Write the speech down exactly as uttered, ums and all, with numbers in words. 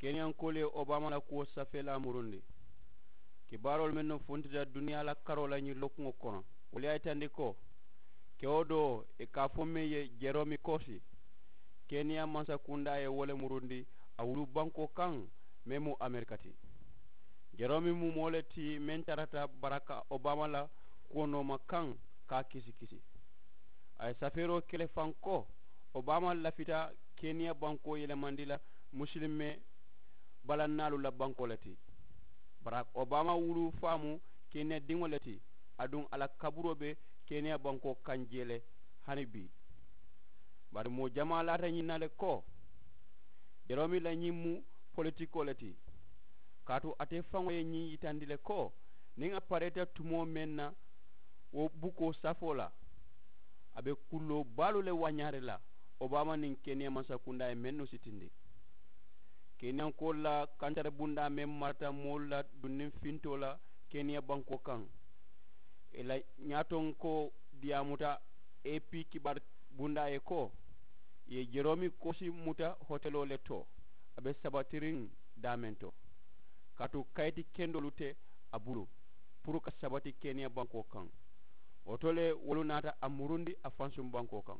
Keniyankoolu ye obama la kuwo safeelaa murundi. Kibaaroolu mennu funtita duniyaa la karoo la ñiŋ lookuŋo kono, wolu ye a yitandi ko kewo doo ì ka a fo meŋ ye jeromi koosi, keniya mansakundaa ye wo le murundi a wulu bankoo kaŋ, meŋ mu amerika ti. Jeromi mu moo le ti meŋ tarata baraka obama la kuwo nooma kaŋ ka a kisi kisi. A ye safeeroo ke le faŋ ko obama lafita keniya bankoo yelemandi la musilimeŋ balannaalu la bankoo le ti. Barack obama wulu faamu keniya diŋo le ti, aduŋ a la kaburoo be keniya bankoo kaŋ jee le hani bii. Bari moo jamaa laata ñiŋ na le ko jeromi la ñiŋ mu politikoo le ti. Kaatu ate faŋo ye ñiŋ yitandi le ko niŋ a pareeta tumoo meŋ na wo bukoo safoo la, a be kulloo baalu le wañaari la obama niŋ keniya mansakundaa ye mennu sitindi. Keniyankoolu la kantari bundaa meŋ marata moolu la dunniŋ fintoo la keniya bankoo kaŋ, ì la ñaatonkoo diyaamuta ap kibaari bundaa ye ko ì ye jeromi koosi muta hoteloo le to, a be sabatiriŋ daameŋ to. Kaatu kayiti kendoolu te a bulu puru ka sabati keniya bankoo kaŋ. Wo to le wolu naata a murundi a fansuŋ bankoo kaŋ.